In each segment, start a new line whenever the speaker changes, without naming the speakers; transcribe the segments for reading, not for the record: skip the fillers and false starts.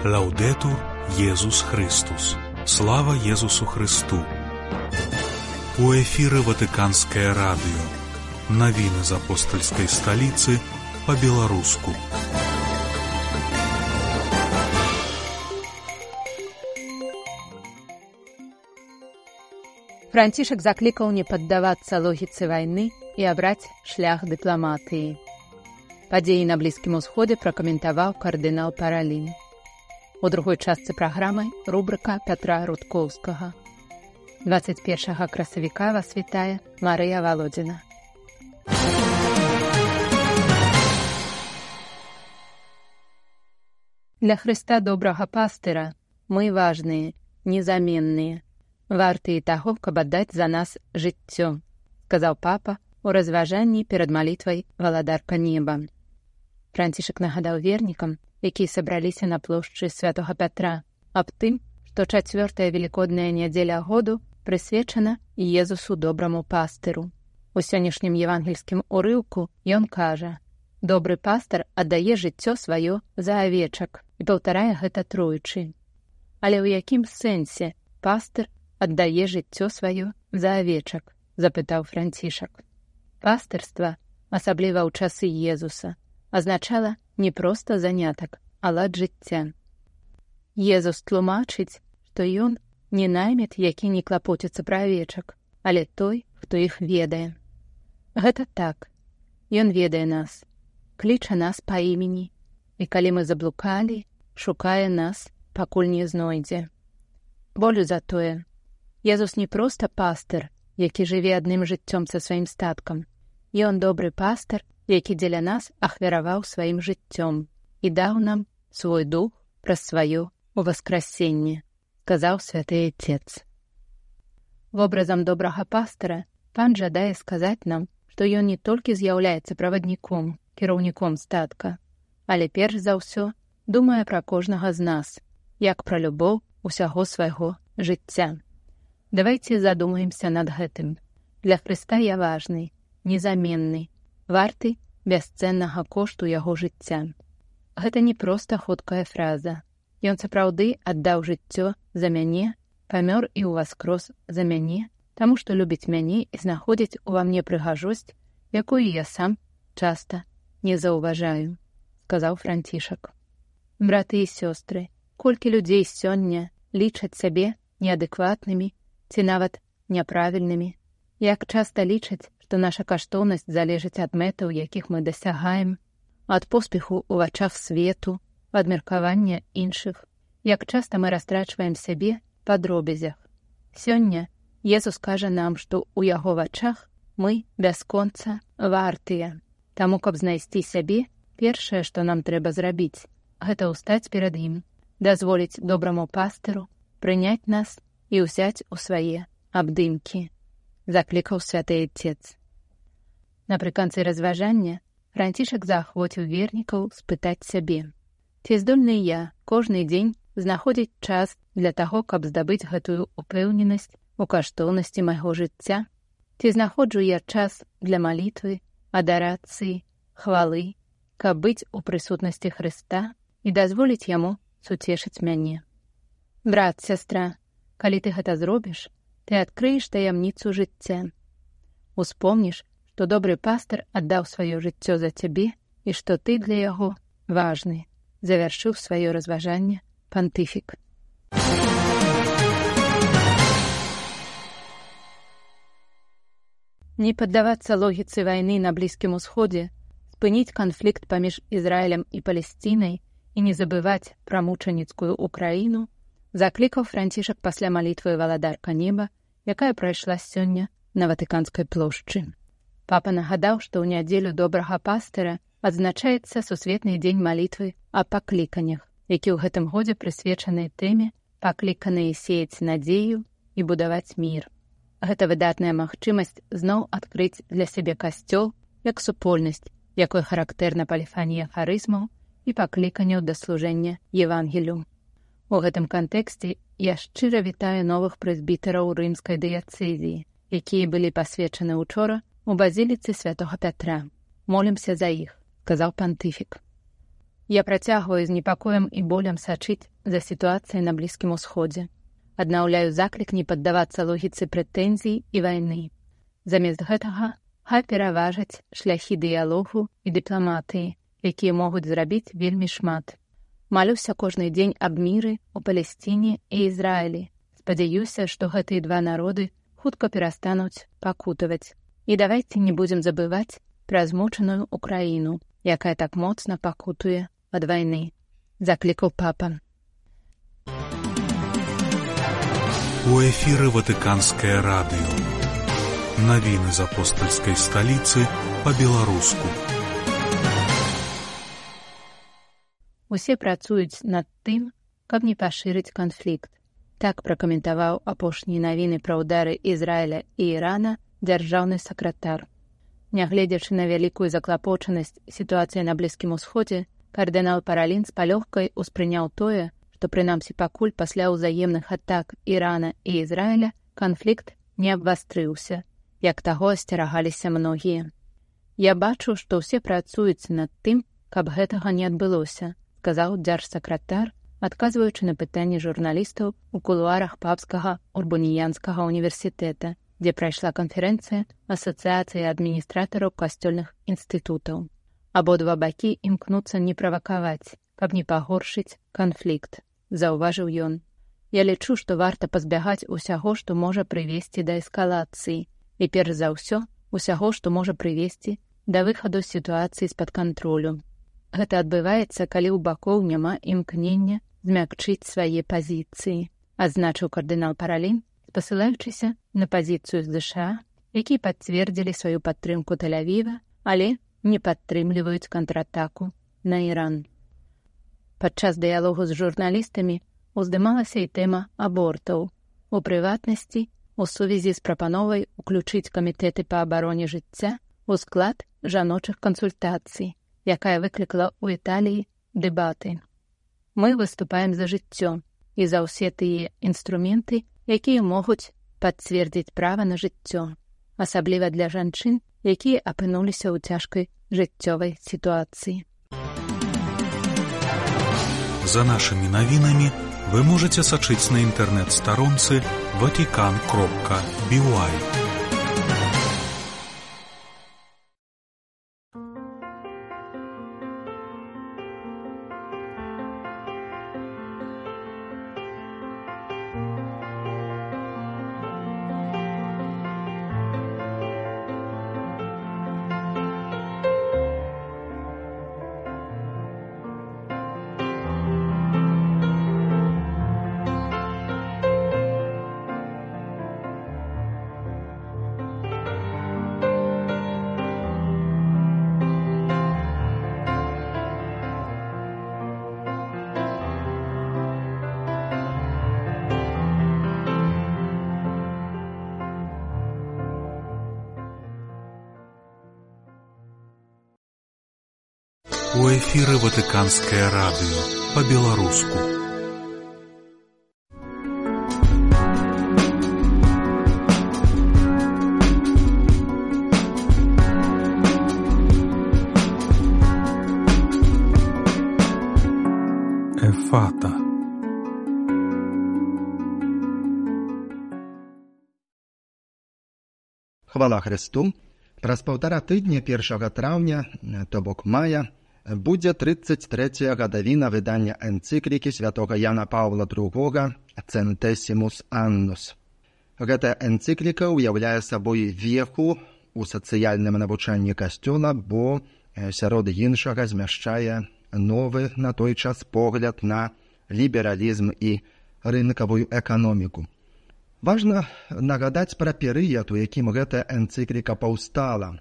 Лаўдетур Єсус Христос. Слава Єсусу Христу. У эфіры Ватыканскае радыё. Навіны з апостальскай сталіцы па-беларуску.
Францішак заклікаў не паддавацца логіцы вайны і абраць шлях дыпламатыі. Падзеі на Блізкім Усходзе пракаментаваў кардынал Паралін. У другой частцы праграмы рубрыка Пятра Рудкоўскага. 21 красавіка вас вітае Марыя Володзіна. Для Хрыста добрага пастыра мы важныя, незаменныя, вартыя таго, каб аддаць за нас жыццё, сказаў папа у разважанні перад малітвай «Валадарка неба». Францішак нагадаў вернікам, якія сабраліся на плошчы Святога Пятра, аб тым, што 4-я велікодная нядзеля году прысвечана Езусу добраму пастыру. У сённяшнім евангельскім урыўку ён кажа: «Добры пастар аддае жыццё сваё за авечак» і паўтарае гэта троечы. Але ў якім сэнсе пастыр аддае жыццё сваё за авечак? Запытаў Францішак. Пастырства, асабліва ў часы Езуса, азначала не проста занятак, а лад жыцця. Езус тлумачыць, што ён не наймет, які не клапоціцца пра авечак, але той, хто іх ведае. Гэта так. Ён ведае нас, кліча нас па імені, і калі мы заблукалі, шукае нас, пакуль не знойдзе. Болю за тое. Езус не проста пастыр, які жыве адным жыццём са сваім статкам. Ён добры пастыр, які дзеля нас ахвяраваў сваім жыццём і даў нам свой дух праз сваё уваскрасенне, сказаў святы Отец. Вобразам добрага пастыра пан жадае сказаць нам, што ён не толькі з'яўляецца правадніком, кіраўніком статка, але перш за ўсё думае пра кожнага з нас, як пра любоў усяго свайго жыцця. Давайце задумаемся над гэтым. Для Хрыста я важны, незаменны, варты бясцэннага кошту яго жыцця. Гэта не проста хуткая фраза. Ён сапраўды аддаў жыццё за мяне, памёр і ўваскрос за мяне, таму што любіць мяне і знаходзіць ува мне прыгажосць, якую я сам часта не заўважаю, сказаў Францішак. Браты і сёстры, колькі людзей сёння лічаць сябе неадэкватнымі ці нават няправільнымі, як часта лічаць, што наша каштоўнасць залежыць ад мэтаў, якіх мы дасягаем, ад поспеху ў вачах свету, ад меркавання іншых, як часта мы растрачваем сябе па дробязях. Сёння Езус кажа нам, што ў яго вачах мы бясконца вартыя. Таму, каб знайсці сябе, першае, што нам трэба зрабіць, гэта ўстаць перад ім, дазволіць добраму пастыру прыняць нас і ўзяць у свае абдымкі, заклікаў святы Отец. Напрыканцы разважання Францішак заахвоціў вернікаў спытаць сябе: ці здольны я кожны дзень знаходзіць час для таго, каб здабыць гэтую упэўненасць у каштоўнасці майго жыцця? Ці знаходжу я час для малітвы, адарацыі, хвалы, каб быць у прысутнасці Хрыста і дазволіць яму суцешыць мяне? Брат, сястра, калі ты гэта зробіш, ты адкрыеш таямніцу жыцця. Успомніш, што добры пастыр аддаў сваё жыццё за цябе і што ты для яго важны, завяршыў сваё разважанне пантыфік. Не паддавацца логіцы вайны на Блізкім Усходзе, спыніць канфлікт паміж Ізраілем і Палесцінай і не забываць пра мучаніцкую Украіну заклікаў Францішак пасля малітвы «Валадарка неба», якая прайшла сёння на Ватыканскай плошчы. Папа нагадаў, што ў нядзелю добрага пастыра адзначаецца сусветны дзень малітвы о пакліканнях, які ў гэтым годзе прысвечаны тэме «Пакліканыя сеяць надзею і будаваць мір». Гэта выдатная магчымасць зноў адкрыць для сябе касцёл як супольнасць, якой характэрна паліфанія харызмаў і пакліканняў да служэння Евангелію. У гэтым кантэксце я шчыра вітаю новых прэзбітараў рымскай дыяцэзіі, якія былі пасвечаны учора у базіліцы Святога Пятра. Молімся за іх, сказаў пантыфік. Я працягваю з непакоем і болем сачыць за сітуацыяй на Блізкім Усходзе. Аднаўляю заклік не паддавацца логіцы прэтэнзій і вайны. Замест гэтага хай пераважаць шляхі дыялогу і дыпламатыі, якія могуць зрабіць вельмі шмат. Малюся кожны дзень аб міры ў Палесціне і Ізраілі. Спадзяюся, што гэтыя два народы хутка перастануць пакутаваць. І давайце не будзем забываць пра змучаную Украіну, якая так моцна пакутуе ад вайны. Заклікаў папа.
У эфіры Ватыканскае радыё. Навіны з апостальскай сталіцы па-беларуску.
Усе працуюць над тым, каб не пашырыць канфлікт. Так пракаментаваў апошнія навіны пра ўдары Ізраіля і Ірана дзяржаўны сакратар. Нягледзячы на вялікую заклапочанасць сітуацыі на Блізкім Усходзе, кардынал Паралін з палёгкай успрыняў тое, што прынамсі пакуль пасля ўзаемных атак Ірана і Ізраіля канфлікт не абвастрыўся, як таго асцерагаліся многія. Я бачу, што ўсе працуюць над тым, каб гэтага не адбылося, сказаў дзяржсакратар, адказваючы на пытанні журналістаў у кулуарах Папскага Урбаніянскага універсітэта, дзе прайшла канферэнцыя Асацыяцыі адміністратараў касцёльных інстытутаў. Абодва бакі імкнуцца не правакаваць, каб не пагоршыць канфлікт, заўважыў ён. Я лічу, што варта пазбягаць усяго, што можа прывесці да эскалацыі, і перш за ўсё, усяго, што можа прывесці да выхаду сітуацыі з-пад кантролю. Гэта адбываецца, калі ў бакоў няма імкнення змякчыць свае пазіцыі, адзначыў кардынал Паралін, спасылаючыся на пазіцыю ЗША, якія пацвердзілі сваю падтрымку Тель-Авіва, але не падтрымліваюць контратаку на Іран. Падчас дыялогу з журналістамі уздымалася і тэма абортаў. У прыватнасці, у сувязі з прапановай уключыць камітэты па абароне жыцця у склад жаночых кансультацый, якая выклікала ў Італіі дэбаты. Мы выступаем за жыццё і за ўсе тыя інструменты, якія могуць пацвердзіць права на жыццё, асабліва для жанчын, якія апынуліся ў цяжкай жыццёвай сітуацыі.
За нашымі навінамі вы можаце сачыць на інтэрнэт-старонцы vatican.by. У эфіры Ватыканскае радыё па-беларуску. Ефата.
Хвала Христу! Праз паўтара тыдня 1 траўня, то бок мая, будзе 33-я гадавіна выдання энцыклікі святога Яна Паўла II «Centesimus Annus». Гэтая энцыкліка ўяўляе сабой веху ў сацыяльным навучанні касцёла, бо сярод іншага змяшчае новы на той час погляд на лібералізм і рынкавую эканоміку. Важна нагадаць пра перыяд, у якім гэтая энцыкліка паўстала.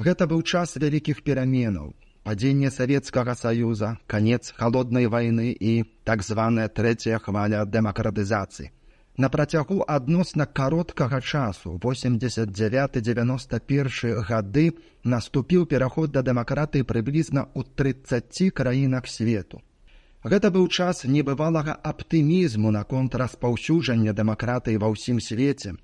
Гэта быў час вялікіх пераменаў. Падзенне Савецкага Саюза, канец халоднай вайны і так званая трэцяя хваля дэмакратызацыі. На працягу адносна кароткага часу, 89-91 гады, наступіў пераход да дэмакратыі прыблізна ў 30 краінах свету. Гэта быў час небывалага аптымізму наконт распаўсюджання дэмакратыі ва ўсім свеце.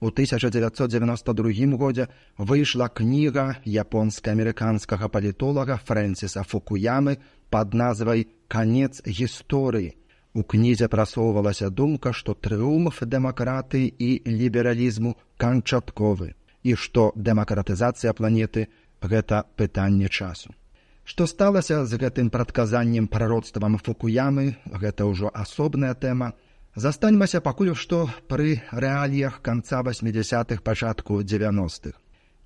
У 1992 годзе выйшла кніга японска-амерыканскага палітолага Фрэнсіса Фукуямы пад назвай «Канец гісторыі». У кнізе прасоўвалася думка, што трыумф дэмакратыі і лібералізму канчатковы і што дэмакратызацыя планеты – гэта пытанне часу. Што сталася з гэтым прадказаннем прароцтвам Фукуямы, гэта ўжо асобная тэма. Застаньмася пакуль што пры рэаліях канца 80-х, пачатку 90-х.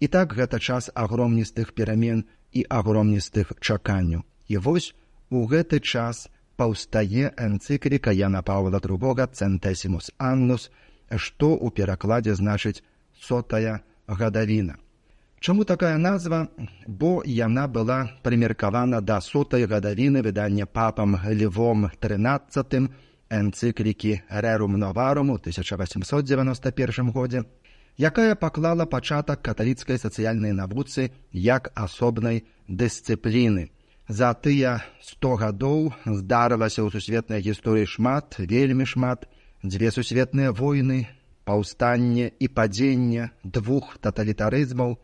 І так гэта час агромністых перамен і агромністых чаканняў. І вось у гэты час паўстае энцыкліка Яна Паўла II «Centesimus Annus», што ў перакладзе значыць «сотая гадавіна». Чаму такая назва? Бо яна была прымеркавана да 100-й гадавіны выдання папам Львом XIII энцыклікі «Rerum Novarum» у 1891 годзе, якая паклала пачатак каталіцкай сацыяльнай навуцы як асобнай дысцыпліны. За тыя 100 гадоў здарылася ў сусветнай гісторыі шмат, вельмі шмат, 2 сусветныя войны, паўстанне і падзенне 2 таталітарызмаў,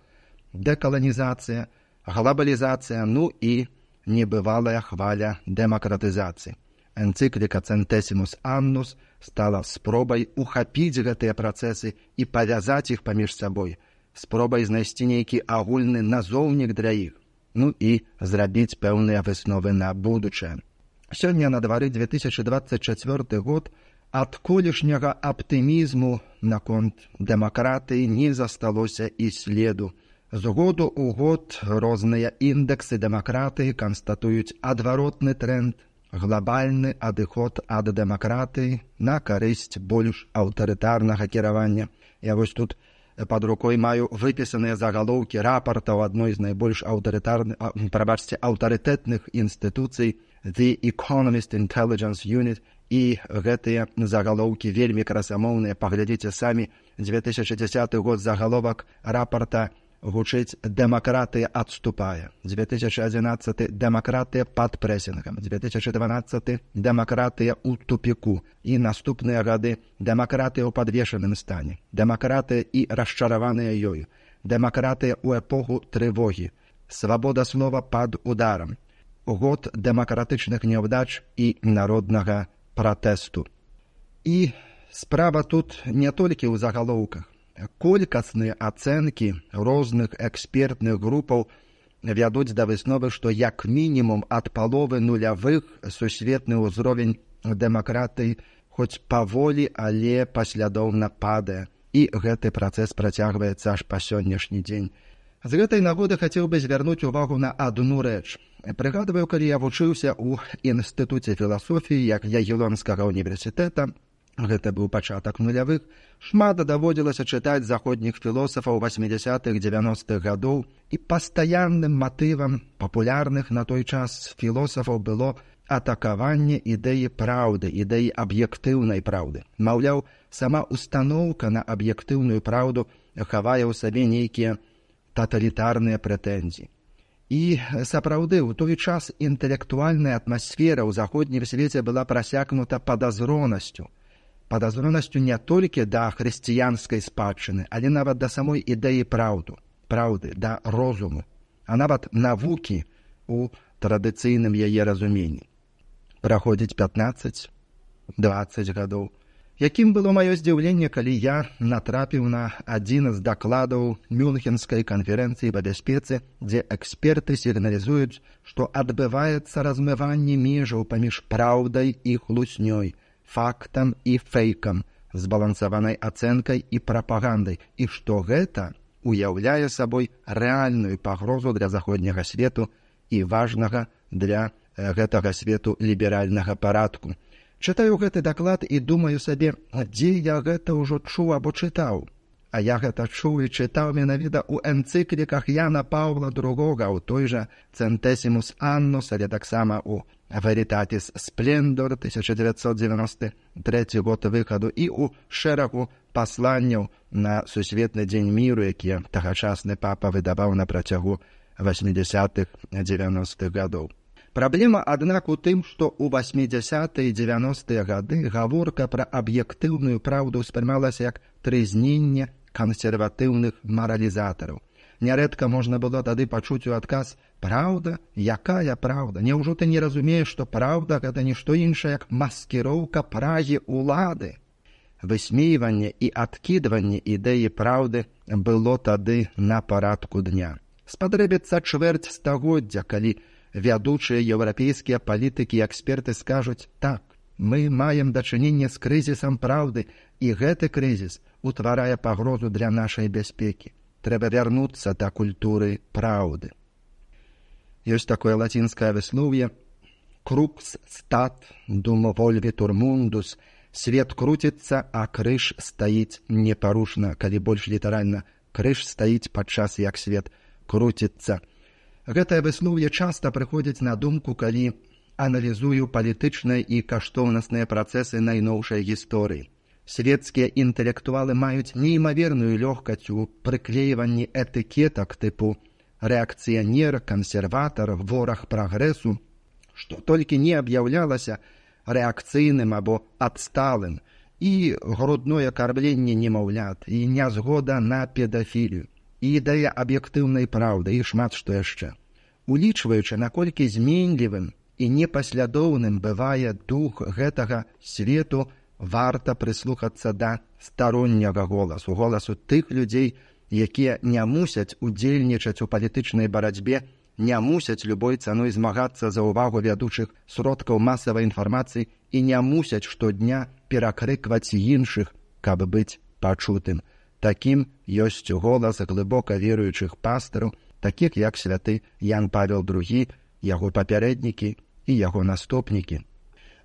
дэкаланізацыя, глобалізацыя, ну і небывалая хваля дэмакратызацыі. Энцыкліка «Centesimus Annus» стала спробай ухапіць гэтыя працэсы і павязаць іх паміж сабой, спробай знайсці нейкі агульны назоўнік для іх, ну і зрабіць пэўныя высновы на будучае. Сёння на двары 2024 год, ад колішняга аптымізму наконт дэмакратыі не засталося і следу. З году ў год розныя індэксы дэмакратыі канстатуюць адваротны тренд, глобальны адыход ад дэмакратыі на карысць больш аўтарытарнага кіравання. Я вось тут пад рукой маю выпісаныя загалоўкі рапартаў адной з найбольш аўтарытэтных інстытуцый The Economist Intelligence Unit, і гэтыя загалоўкі вельмі красамоўныя. Паглядзіце самі, 2010 год загаловак рапарта гучыць «Дэмакратыя адступае», 2011 «Дэмакратыя пад прэсінгам», 2012 «Дэмакратыя ў тупіку» і наступныя гады «Дэмакратыя ў падвешаным стане», «Дэмакратыя і расчараваныя ёю», «Дэмакратыя ў эпоху трывогі», «Свабода слова пад ударам», год дэмакратычных няўдач і народнага пратэсту. І справа тут не толькі ў загалоўках. Колькасныя ацэнкі розных экспертных групаў вядуць да высновы, што як мінімум ад паловы нулявых сусветны ўзровень дэмакратыі хоць паволі, але паслядоўна падае. І гэты працэс працягваецца аж па сённяшні дзень. З гэтай нагоды хацеў бы звярнуць увагу на адну рэч. Прыгадваю, калі я вучыўся ў інстытуце філасофіі Ягелонскага універсітэта, гэта быў пачатак нулявых, шмат даводзілася чытаць заходніх філосафаў 80-х, 90-х гадоў, і пастаянным матывам папулярных на той час філосафаў было атакаванне ідэі праўды, ідэі аб'ектыўнай праўды. Маўляў, сама устаноўка на аб'ектыўную праўду хавае ў сабе нейкія таталітарныя прэтэнзіі. І сапраўды, у той час інтэлектуальная атмасфера ў заходнім свеце была прасякнута падазронасцю не толькі да хрысціянскай спадчыны, але нават да самой ідэі праўды, да розуму, а нават навукі ў традыцыйным яе разуменні. Праходзіць 15-20 гадоў. Якім было маё здзіўленне, калі я натрапіў на адзін з дакладаў Мюнхенскай канферэнцыі па бяспецы, дзе эксперты сігналізуюць, што адбываецца размыванне межаў паміж праўдай і хлуснёй, фактам і фэйкам, збалансаванай ацэнкай і прапагандай, і што гэта уяўляе сабой рэальную пагрозу для заходняга свету і важнага для гэтага свету ліберальнага парадку. Чытаю гэты даклад і думаю сабе, дзе я гэта ўжо чуў або чытаў. А я гэта чуў і чытаў менавіта ў энцыкліках Яна Паўла II, у той жа «Centesimus Annus», але таксама ў «Veritatis Splendor» 1993 год выхаду і ў шэрагу пасланняў на сусветны дзень міру, якія тагачасны папа выдаваў на працягу 80-х, 90-х гадоў. Праблема, аднак, у тым, што ў 80-е і 90-е гады гаворка пра аб'ектыўную праўду ўспрымалася як трызненне кансерватыўных маралізатараў. Нярэдка можна было тады пачуць у адказ: «Праўда? Якая праўда? Няўжо ты не разумееш, што праўда — гэта не што іншае, як маскіроўка прагі ўлады?» Высмейванне і адкідванне ідэі праўды было тады на парадку дня. Спатрэбіцца чвэрць стагоддзя, калі вядучыя еўрапейскія палітыкі і эксперты скажуць: «Так, мы маем дачыненне з крызісам праўды, і гэты крызіс утварае пагрозу для нашай бяспекі. Трэба вярнуцца да культуры праўды». Ёсць такое лацінскае выслоўе: «Crux stat dum volvitur mundus». Свет круціцца, а крыж стаіць непарушна. Калі больш літаральна, крыж стаіць падчас як свет круціцца. Гэтае выслоўе часта прыходзіць на думку, калі аналізую палітычныя і каштоўнасныя працэсы найноўшай гісторыі. Свецкія інтэлектуалы маюць неймаверную лёгкасць у прыклейванні этыкетак тыпу рэакцыянер, кансерватар, вораг прагрэсу, што толькі не аб'яўлялася рэакцыйным або адсталым, і грудное кармленне немаўлят, і нязгода на педафілію, і ідэя аб'ектыўнай праўды, і шмат што яшчэ. Улічваючы, наколькі зменлівым і непаслядоўным бывае дух гэтага свету, варта прыслухацца да старонняга голасу, голасу тых людзей, якія не мусяць удзельнічаць у палітычнай барацьбе, не мусяць любой цаной змагацца за ўвагу вядучых сродкаў масавай інфармацыі і не мусяць штодня перакрыкваць іншых, каб быць пачутым. Такім ёсць голас глыбока веруючых пастыраў, такіх як святы Ян Павел II, яго папярэднікі і яго наступнікі.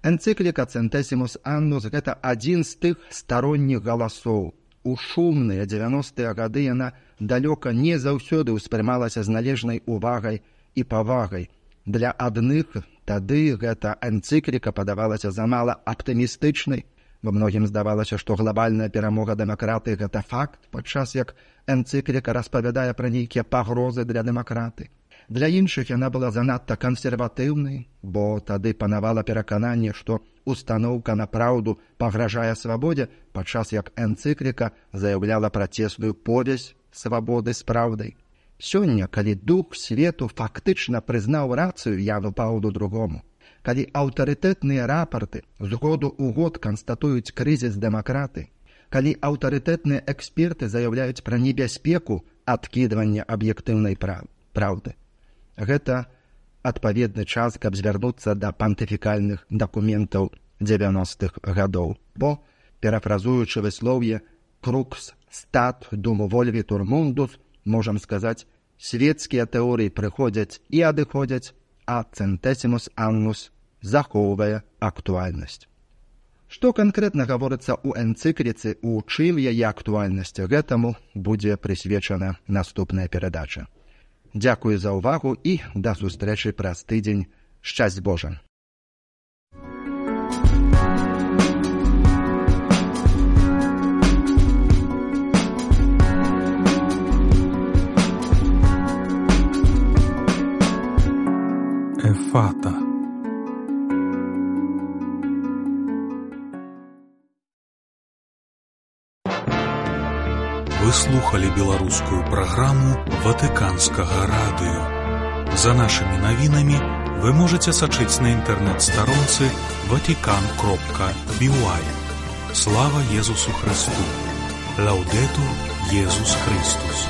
Энцыкліка «Centesimus Annus» — гэта адзін з тых старонніх галасоў. У шумныя 90-е гады яна далёка не заўсёды ўспрымалася з належнай увагай і павагай. Для адных тады гэта энцыкліка падавалася замала аптымістычнай, бо многім здавалася, што глобальная перамога дэмакратыі — гэта факт, падчас як энцыкліка распавядае пра нейкія пагрозы для дэмакраты. Для іншых яна была занадта кансерватыўнай, бо тады панавала перакананне, што устаноўка на праўду пагражае свабодзе, падчас як энцыкліка заяўляла працесную повязь свабоды з праўдай. Сёння, калі дух свету фактычна прызнаў рацыю Яну Паўлу II, калі аўтарытэтныя рапарты з году ў год канстатуюць крызіс дэмакраты, калі аўтарытэтныя эксперты заяўляюць пра небяспеку адкідвання аб'ектыўнай праўды, гэта адпаведны час, каб звярнуцца да пантыфікальных дакументаў 90-х гадоў. Бо, перафразуючы выслоўе «Crux stat dum volvitur mundus», можам сказаць, свецкія тэорыі прыходзяць і адыходзяць, а «Centesimus Annus» захоўвае актуальнасць. Што канкрэтна гаворыцца ў энцыкліцы, у чым яе актуальнасць, гэтаму будзе прысвечана наступная перадача. Дзякую за ўвагу і да сустрэчы праз тыдзень. Шчасць Божа!
Эфата. Вы слухали беларускую праграму Ватыканскага радыё. За нашымі навінамі вы можаце сачыць на інтэрнэт-старонцы vatican.by. Слава Езусу Христу! Лаўдетур Езус Христус!